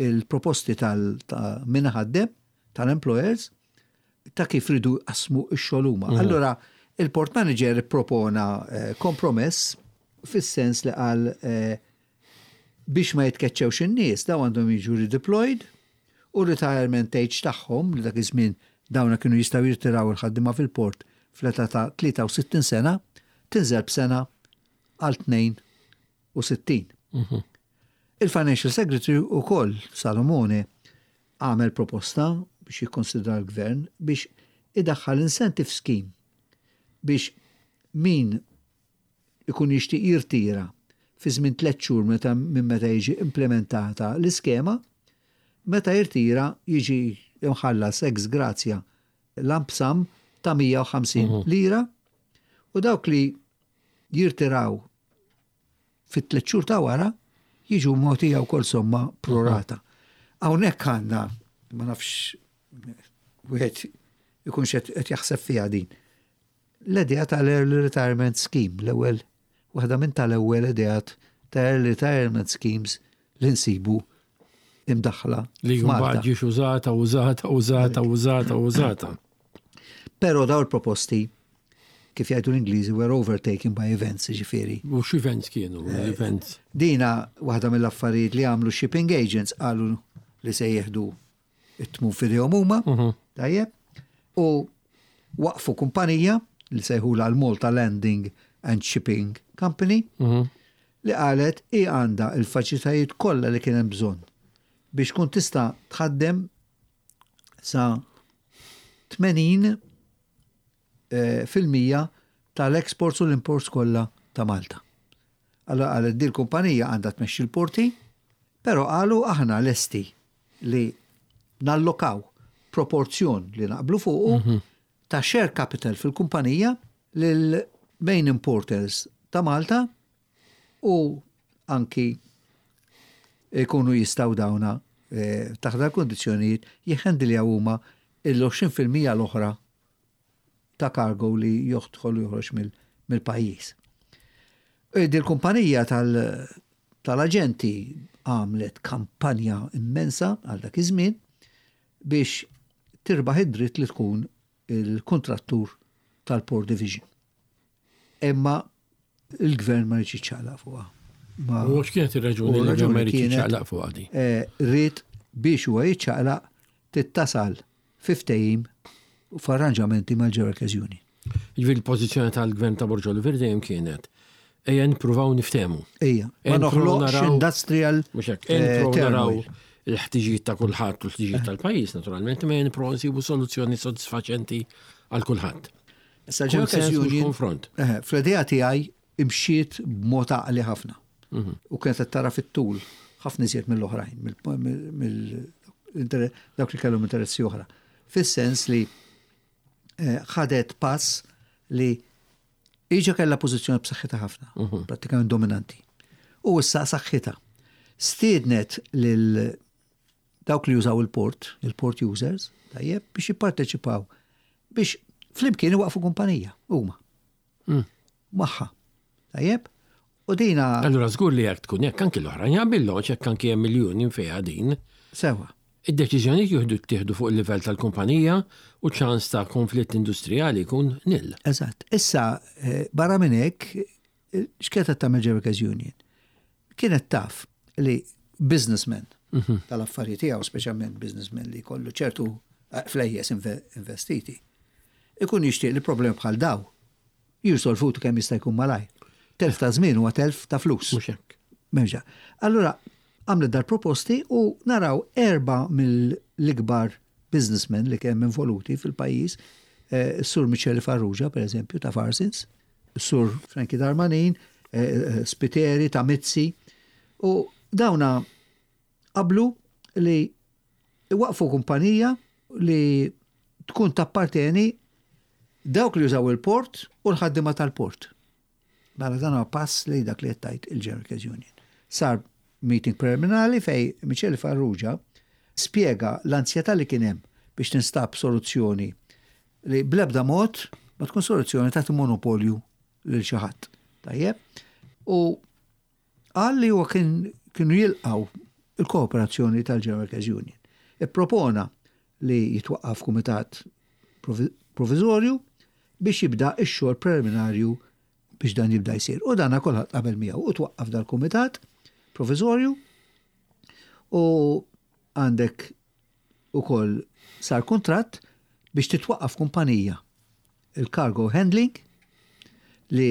il-proposti tal ta' min ħaddem, tal-employers, ta' kif ridu jqasmu x-xogħol huma. Allura, il-port manager propona eh, kompromess fis-sens li qal eh, biex ma jitkeċċewx in-nies, daw għandhom jiġu redeployed u retirement age tagħhom, li dak iż-żmien dawna kienu jistgħu jirtiraw il-ħaddiema fil-port fl-età ta' tlieta u sittin sena, tinżel b'sena għal tnejn u sittin. Il-Financial Secretary ukoll, Salomone, għamel proposta biex jikkonsidra l-gvern biex idaħħal incentive scheme biex min ikun jixtieq jirtira fi żmien tliet xhur meta minn meta jiġi implementata l-iskema, meta jirtira jiġi imħallas ex gratia lump sum ta' mija u ħamsin lira u dawk li jirtiraw fit-tliet xhur ta' wara jiġu mogħtija wkoll somma pro rata. Hawnhekk għandna, ma nafx wieħed ikun qed jaħseb fiha din. L-idea tal-early retirement scheme, l-ewwel waħda minn tal-ewwel ideat ta' early retirement schemes li nsibu imdaħla Li f'Malta. mbagħad ġiex użata, użata, użata, użata, użata. Però daw il-proposti, kif jgħidu l-Ingliżi, were overtaken by events, ġifieri. U x'events kienu, events? Dina waħda mill-affarijiet li għamlu shipping agents, qalu li se jieħdu it-tmun f'idejhom huma, tajjeb, u waqfu kumpanija li sejħula l-Malta Landing and Shipping Company li qalet i għandha il-faċilitajiet kollha li kien hemm bżonn biex kun tista' tħaddem sa tmenin eh, fil-mija tal-exports u l-imports kollha ta' Malta. Allora qalet di l-kumpanija għandha tmexxi l-porti, però qalu aħna lesti li nallokaw proporzjon li naqblu fuqu ta' share capital fil-kumpanija lil main importers ta' Malta u anki ikunu jistgħu dawna eh, taħt dal-kondizzjonijiet jiħendiljaw huma il-għoxrin fil-mija l-oħra ta' cargo li jidħol u joħroġ mill-pajjiż. Di l-kumpanija tal-aġenti għamlet kampanja immensa għal dak iż-żmien biex tirbaħ id-dritt li tkun il-kontrattur tal-Port Division. Imma il-gvern ma riedx jiċċaqlaq fuqha. U x'kienet ir-raġuni li l-gvern ma riedx jiċċaqlaq fuqha di? Eh, ried biex huwa jiċċaqlaq trid tasal fi ftehim u f'arranġamenti mal-Workers Union. Ġifieri l-pożizzjoni tal-gvern ta' Borg Olivier dejjem kienet ejja nippruvaw niftehmu. Ejja, ma noħloqx industrial Mhux hekk, eh, naraw il-ħtiġijiet ta' kulħadd u l-ħtiġijiet tal-pajjiż naturalment, ma nippruvaw nsibu soluzzjoni sodisfaċenti għal kulħadd. Issa Workers Union konfront. Eh, fl-idea tiegħi imxiet b'mod għaqli ħafna. Mhm. U kienet tara fit-tul ħafna iżjed mill-oħrajn, dawk li kellhom interessi oħra. Fis-sens li eh, ħadet pass li iġa kellha pożizzjoni b'saħħitha ħafna, mhm. prattikament dominanti. U issa saħħitha. Stiednet lil dawk li jużaw il-port, il-port users, tajjeb, biex jipparteċipaw, biex flimkien waqfu kumpanija, huma. Mm. Magħha. Tajjeb? U dina. Allura żgur li jekk tkun jekk anki l-oħrajn jaqbillu jekk anki hemm miljuni fejha din. Sewa. Id-deċiżjoni jieħdu tieħdu fuq il-livell tal-kumpanija u ċans ta' konflitt industrijali jkun nil. Eżatt. Issa, eh, barra minn hekk, eh, x'kienet tagħmel Workers Union? Kienet taf li businessman mhm. tal-affarijiet tiegħu, speċjalment businessman li kollu ċertu eh, flejjes investiti, ikun jixtieq li problemi bħal daw jirsolvutu kemm jista' jkun malaj. Telf ta' żmien huwa telf ta' flus. Mhux hekk. Memġa. Allura, għamlet dar proposti u naraw erba mill-ikbar businessmen li kemm involuti fil-pajjiż, eh, Sur Michele Farrugia, per eżempju, ta' Farsins, Sur Frankie Darmanin, eh, eh, Spiteri ta' Mizzi, u dawna qablu li waqfu kumpanija li tkun tapparteni dawk li jużaw il-port u l-ħaddima tal-port. Mela dan huwa pass li dak li qed il-General Union. Sar meeting preliminari fej Michele Farrugia spiega l-ansjetà li kien hemm biex tinstab soluzzjoni li blebda mod ma tkun soluzzjoni ta' monopolju lil xi ħadd. Tajjeb? U qal li huwa kien kienu jilqaw il-kooperazzjoni tal-General Workers Union. Ippropona li jitwaqqaf kumitat provizorju biex jibda ix-xogħol preliminarju biex dan jibda jsir. U dan kulħadd qabel miegħu u twaqqaf dal-kumitat provizorju u għandek ukoll sar kontratt biex titwaqqaf kumpanija, il-Cargo Handling, li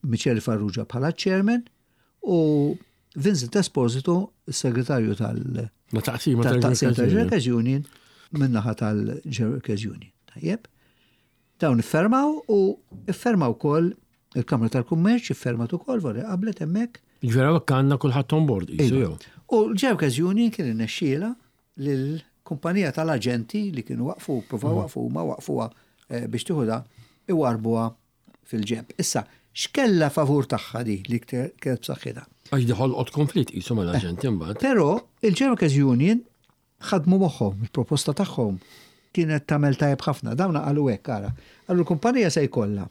Michele Farrugia bħala chairman u Vincent Esposito, segretarju tal- taqsima tal-Workers Union min-naħa tal-Workers Union. Tajjeb. Dawn iffermaw u iffermaw ukoll il-Kamra tal-Kummerċ, iffermat ukoll vorri qablet hemmhekk. Ġvera hekk għandna kulħadd on board, iva. U l-Workers Union kien innexxiela lill-kumpanija tal-aġenti li kienu waqfu, provaw mhm. waqfu, ma waqfuha eh, biex tieħudha iwarbuha fil-ġemp. Issa, x'kella favur tagħha di li kienet b'saħħitha? Għax di ħolqot konflitt qisu mal-aġenti imbagħad. Però il-Workers Union ħadmu moħħhom, il-proposta tagħhom kienet tagħmel tajjeb ħafna. Dawna qalu hekk ara. Qalu l-kumpanija se jkollha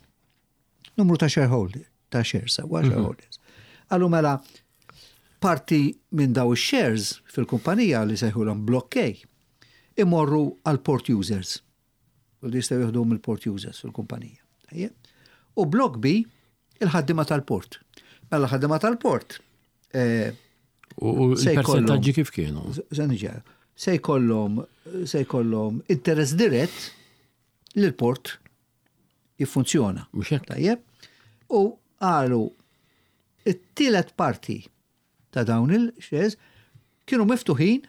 numru ta' shareholder, ta' shares, sewa mhm. shareholders. Qalu mela parti minn daw shares fil-kumpanija li sejħulhom block A imorru għal port users. U li jistgħu jieħdu mill-port users fil-kumpanija. U block B il-ħaddima tal-port. Mela ħaddima tal-port. Eh, u l-percentaġġi kif kienu? Se jkollhom se jkollhom interess dirett li l-port jiffunzjona. Mhux hekk. Tajjeb. U qalu it-tielet parti ta' dawn il-shares kienu miftuħin,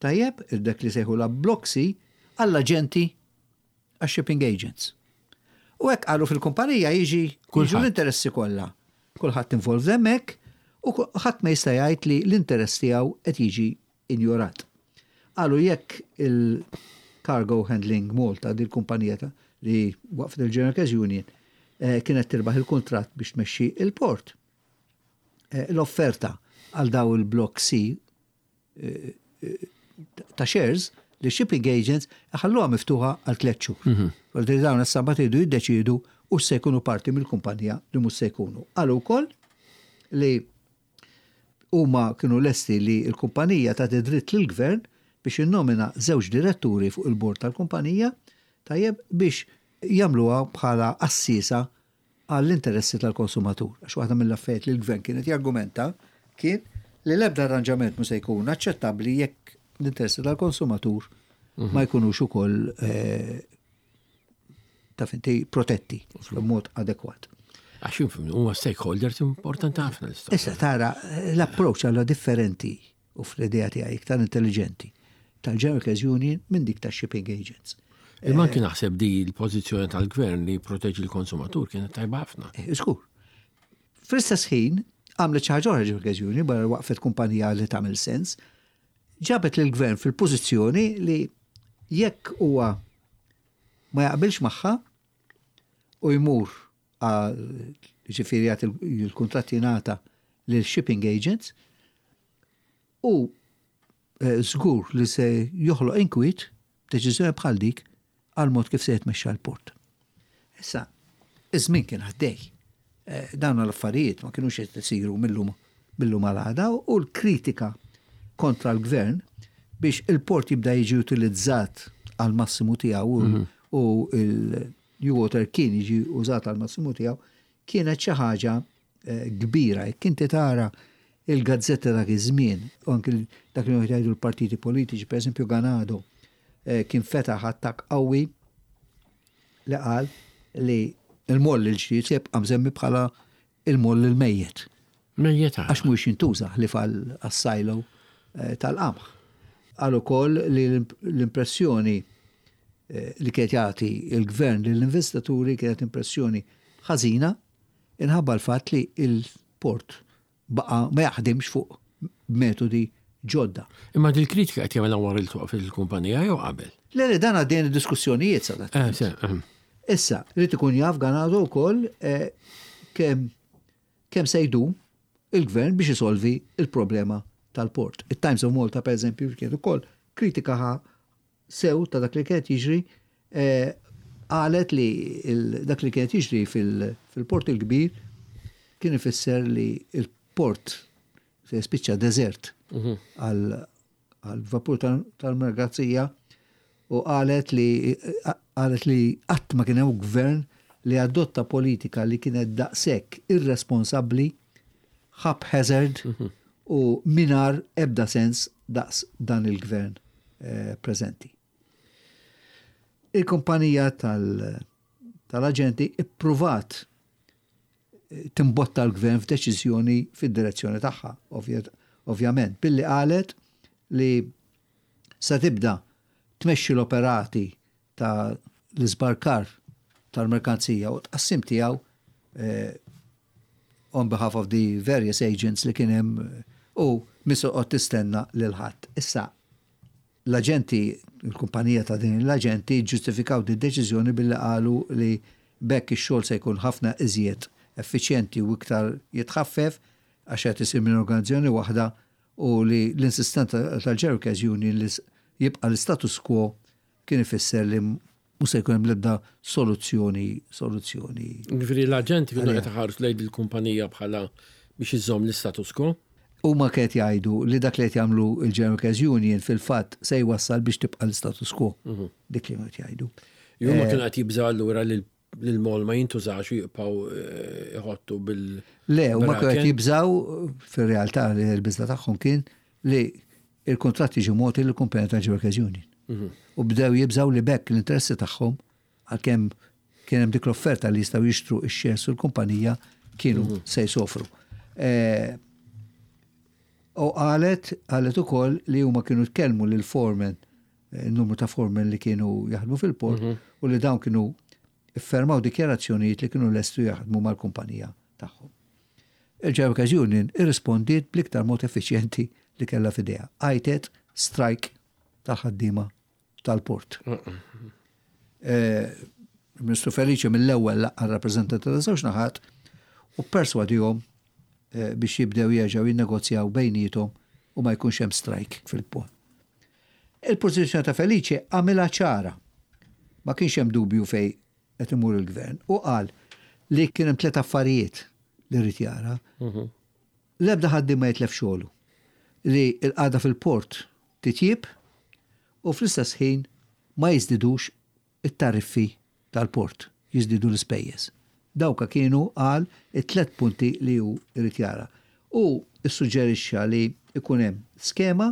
tajjeb, dak li sejħu la block C, għall-aġenti, għax-shipping agents. U hekk qalu fil-kumpanija jiġi jiġu l-interessi kollha. Kulħadd involved hemmhekk u ħadd ma jista' jgħid li l-interess tiegħu qed jiġi injorat. Qalu jekk il-Cargo Handling Malta, di l-kumpanija ta' li waqfet il-General Workers Union, eh, kienet tirbaħ il-kontrat biex tmexxi il-port. Eh, L-offerta għal daw il-Block C eh, ta' shares li shipping agents ħalluha miftuħa għal tliet xhur. Mm Dawn issa mbagħad iridu jiddeċidu u se jkunu parti mill-kumpanija li mhux se jkunu. Qalu wkoll li huma kienu lesti li l-kumpanija ta' dritt lill-gvern biex innomina żewġ diretturi fuq il-bord tal-kumpanija, tajjeb, biex jagħmluha bħala assisa għall-interessi tal-konsumatur. Għax waħda mill-affarijiet li l-gvern kienet jargumenta kien li l-ebda arranġament mhux se jkun aċċettabbli jekk l-interessi tal-konsumatur ma jkunux ukoll eh, taf inti protetti b'mod adekwat. Għax jinfhem, huma stakeholders importanti ħafna l-istat. Issa tara l-approach għalla differenti u fl-idea tiegħi iktar intelligenti tal-General Workers Union minn dik tax-shipping agents. Imma kien naħseb di l-pożizzjoni tal-gvern li proteġi l-konsumatur kienet tajba ħafna. Eh, Żgur. Fl-istess ħin, għamlet xi ħaġa oħra General Workers Union, barra waqfet kumpanija li tagħmel sens, ġabet lill-gvern fil-pożizzjoni li jekk huwa ma jaqbilx magħha u jmur għal, ġifieri jagħti il-kuntratt jingħata lil shipping agents u eh, żgur li se joħloq inkwiet deċiżjoni bħal dik għal mod kif se jitmexxa l-port. Issa, iż-żmien kien għaddej. Eh, Dawn l-affarijiet ma kienux qed isiru millum millum għal u l-kritika kontra l-gvern biex il-port jibda jiġi utilizzat għal massimu tiegħu u- u il-New Water kien jiġi użat għal massimu tiegħu kienet xi ħaġa eh, kbira. Jekk inti tara il-gazzetta dak iż-żmien, u anki dak li jgħidu l-partiti politiċi, per eżempju Ganado, eh, kien fetaħ attak qawwi li qal li il-moll il-ġdid se jibqa' msemmi bħala il-moll il-mejjet. Mejjet. Għax mhux jintuża li għas-silo eh, tal-qamħ. Qal ukoll li l-impressjoni eh, li kienet jagħti il-gvern lill-investituri kienet impressjoni ħażina inħabba l-fatt li il-port baqa ma jaħdimx fuq metodi ġodda. Imma dil-kritika qed jagħmilha wara li twaqfet il-kumpanija jew qabel? Le, le, dan għaddejn diskussjonijiet sa Eh, se, eh. Issa, rrid ikun jaf Ganado wkoll eh, kemm kemm se jdum il-gvern biex isolvi il-problema tal-port. Il-Times of Malta, per eżempju, kienet ukoll kritika ħa sew ta' dak li kienet jiġri, eh, qalet li il- dak li kienet jiġri fil- fil-port il-kbir kien ifisser li il-port se jispiċċa desert għal għal vapur tal- tal-merkanzija u qalet li qalet li qatt ma kien hemm gvern li adotta politika li kienet daqshekk irresponsabbli, haphazard u mingħajr ebda sens daqs dan il-gvern eh, preżenti. Il-kumpanija tal- tal-aġenti ippruvat eh, timbotta l-gvern f'deċiżjoni fid-direzzjoni tagħha, ovvja- ovvjament, billi qalet li sa tibda tmexxi l-operati ta' l-iżbarkar tal-merkanzija u tqassim tiegħu eh, on behalf of the various agents li kien hemm eh, u mhux qed tistenna lil ħadd. Issa l-aġenti, il-kumpanija ta' din l-aġenti ġustifikaw di deċiżjoni billi qalu li bekk ix-xogħol se jkun ħafna iżjed effiċjenti u iktar jitħaffef għax qed isir minn organizzazzjoni waħda u li l-insistenza tal-General Workers Union li s- jibqa' l-status quo kien ifisser li mhux se jkun hemm l-ebda soluzzjoni soluzzjoni. Ġifieri l-aġenti kienu qed iħarsu lejn il-kumpanija bħala biex iżomm l-status quo. Huma kienet jgħidu li dak li qed jagħmlu il-General Workers Union fil-fatt se jwassal biex tibqa' l-status quo. Dik li qed jgħidu. Huma kienu qed jibżgħu allura li l-mol ma jintużax u jibqgħu eh, iħottu bil. Le, huma kienu qed Braken. jibżaw fir-realtà li l-biża tagħhom kien li il-kontratt jiġi mogħti lill-kumpanija tal-General Workers Union. U bdew jibżaw li bekk l-interessi tagħhom, għalkemm kien hemm dik l-offerta li jistgħu jixtru x-shares u l-kumpanija, kienu se jsofru. Eh, U qalet, qalet ukoll li huma kienu tkellmu lil foreman, eh, il-numru ta' foreman li kienu jaħdmu fil-port u li dawn kienu iffermaw dikjarazzjonijiet li kienu lestu jaħdmu mal-kumpanija tagħhom. Il-General Workers Union irrispondiet bl-iktar mod effiċjenti li kellha f'idejha. Għajtet strike tal-ħaddiema tal-port. Eh, Ministru Felice mill-ewwel laqqa rappreżentanti ta' żewġ naħat u perswadihom eh, biex jibdew jerġgħu jinnegozjaw bejniethom u ma jkunx hemm strike fil-port. Il-pożizzjoni ta' Felice għamilha ċara. Ma kienx hemm dubju fej qed imur il-gvern u qal li kien hemm tliet affarijiet li rrid jara. L-ebda ħaddiem ma jitlef xogħlu. Li l-qagħda fil-port titjib u fl-istess ħin ma jiżdidux it-tariffi tal-port, jiżdidu l-ispejjeż. Dawka kienu għal it-tlet punti li hu irid jara. U issuġġerixxa li ikun hemm skema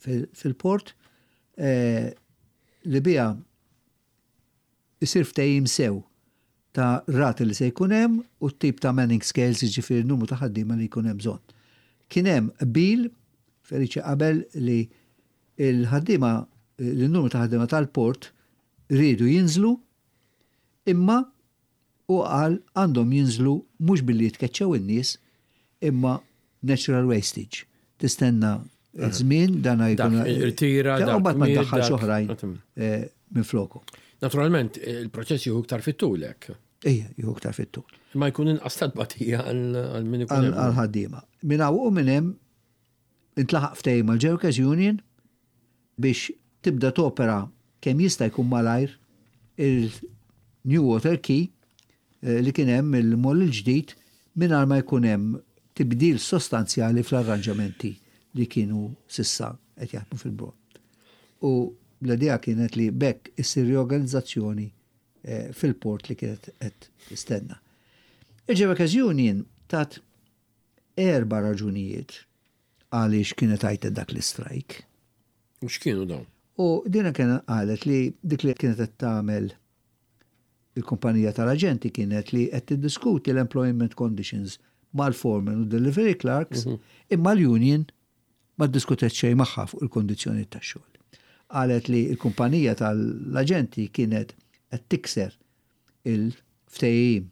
fil-port eh, li biha isir ftehim sew ta' rati li se jkun hemm u t-tip ta' manning scales, jiġifieri numru ta' ħaddiema li jkun hemm bżonn. Kien hemm qbil, Felice qabel li il-ħaddiema, l-numru ta' ħaddiema tal-port rridu jinżlu, imma u qal għandhom jinżlu mhux billi jitkeċċew in-nies, imma natural wastage. Tistenna żmien dan jkun irtira, u mbagħad ma ddaħħalx oħrajn eh, minn floku. Naturalment, il-proċess jieħu iktar fit-tul hekk. Ija, jieħu iktar fit-tul. Ma jkun inqas tbatija għal min ikun Għal ħaddiema. Minn hawn u minn hemm intlaħaq ftehim mal-Workers Union biex tibda topera kemm jista' jkun malajr il-New Water Quay eh, li kien hemm il-moll il-ġdid mingħajr ma jkun hemm tibdil sostanzjali fl-arranġamenti li kienu s'issa qed jaħdmu fil-port. U l-idea kienet li b'hekk issir riorganizzazzjoni eh, fil-port li kienet qed tistenna. Il-Workers Union tat erba raġunijiet għaliex kienet għajtet dak l-strike. U x'kienu dawn? U dina kienet qalet li dik li kienet qed tagħmel il-kumpanija tal-aġenti kienet li qed tiddiskuti l-employment conditions mal-foreman u delivery clerks, imma l-union ma ddiskutet xejn magħha fuq il-kondizzjoni tax-xogħol. Qalet li l-kumpanija tal-aġenti kienet qed tikser il-ftehim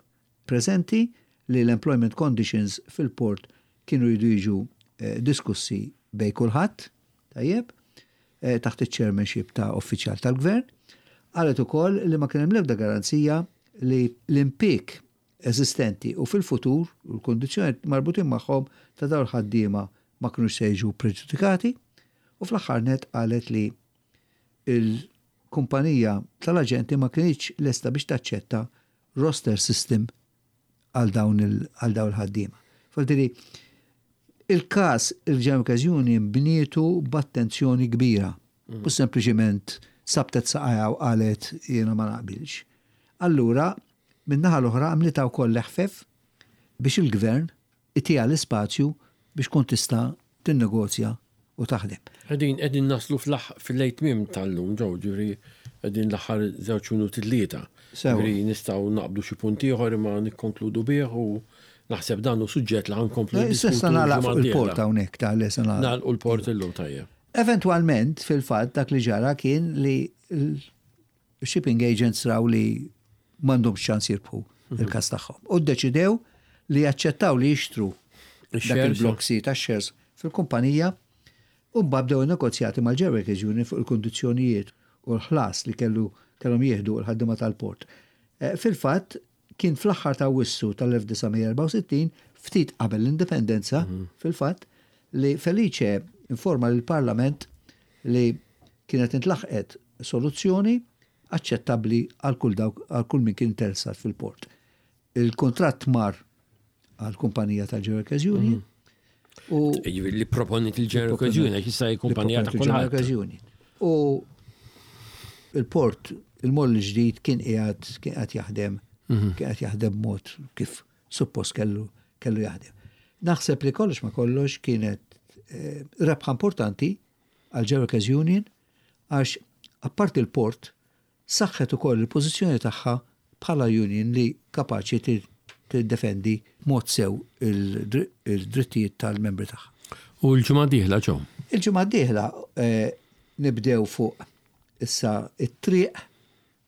preżenti li l-employment conditions fil-port kienu jridu jiġu eh, diskussi bejn kulħadd, tajjeb, eh, taħt il-chairmanship ta' uffiċjal tal-gvern. Qalet ukoll li ma kien hemm l-ebda garanzija li l-impjieg eżistenti u fil-futur u l-kondizzjoni marbutin magħhom ta' dawn il-ħaddiema ma kinux se jiġu preġudikati, u fl-aħħar net qalet li il-kumpanija tal-aġenti ma kinitx lesta biex taċċetta roster system għal dawn il-ħaddiema. Fal-diri, il-kas il-General Workers Union bnietu b'attenzjoni kbira. U sempliċiment sabtet saqajha u qalet jiena ma naqbilx. Allura, min-naħa l-oħra għamlitha wkoll leħfef biex il-gvern itiha l-ispazju biex kun tista' tinnegozja u taħdem. Qegħdin, qegħdin naslu fil-lejt tal-lum, ġew, ġifieri, qegħdin l-aħħar żewġ minuti, tlieta. Ġifieri nistgħu naqbdu xi punt ieħor imma nikkonkludu bih u naħseb dan hu suġġett li ħa nkomplu. Issa nagħlaq fuq il-port hawnhekk ta' li se Nagħlqu l-port illum, tajjeb. Eventualment, fil-fatt, dak li ġara kien li l-shipping agents raw li m'għandhomx ċans jirbħu il-kas tagħhom. U ddeċidew li jaċċettaw li jixtru dak il-block C ta' shares fil-kumpanija u mbagħad bdew negozjati mal-General Workers Union fuq il-kondizzjonijiet u l-ħlas li kellu kellhom jieħdu l-ħaddiema tal-port. Eh, fil-fatt, kien fl-aħħar ta' Awwissu tal-elf disa' mija erbgħa u sittin, ftit qabel l-indipendenza, fil-fatt, li Felice informa l-Parlament li kienet intlaħqet soluzzjoni aċċettabbli għal kull dawk għal kull min kien interessat fil-port. Il-kontratt mar għal kumpanija tal-General Workers Union. U li proponit il-General Workers Union, għax issa kumpanija ta' kulħadd. Union. U il-port, il-moll ġdid kien qiegħed kien qiegħed jaħdem, kien qiegħed jaħdem mod kif suppost kellu kellu jaħdem. Naħseb li kollox ma kollox kienet eh, rebħa importanti għal General Workers Union għax apart il-port saħħet ukoll il-pożizzjoni tagħha bħala union li kapaċi tiddefendi mod sew il-drittijiet tal-membri tagħha. U l-ġimgħa dieħla, ġew? Il-ġimgħa dieħla eh, nibdew fuq issa it-triq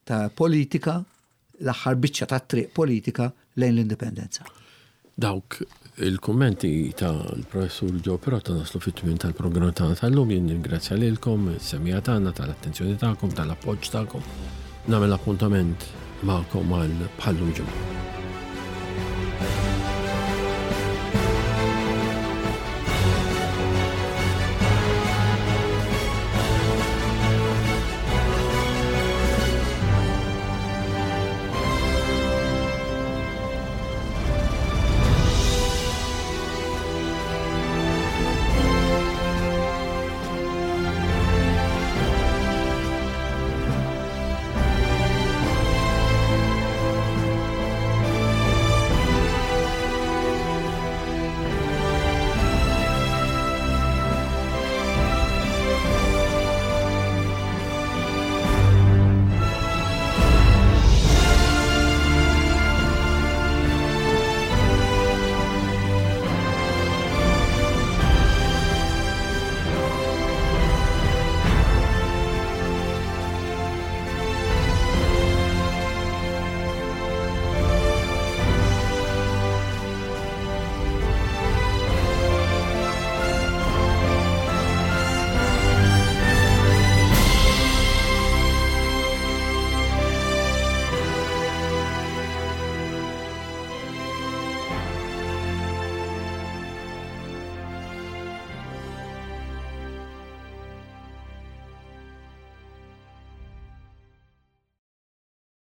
ta' politika, l-aħħar biċċa ta' triq politika lejn l-indipendenza. Dawk il-kummenti tal-professur Joe Pirotta naslu fit-tmiem tal-programm tagħna tal-lum. Jien ningrazzja lilkom, is-semmiegħa tagħna, tal-attenzjoni tagħkom, tal-appoġġ tagħkom. Nagħmel appuntament magħkom għal bħallum ġimgħa.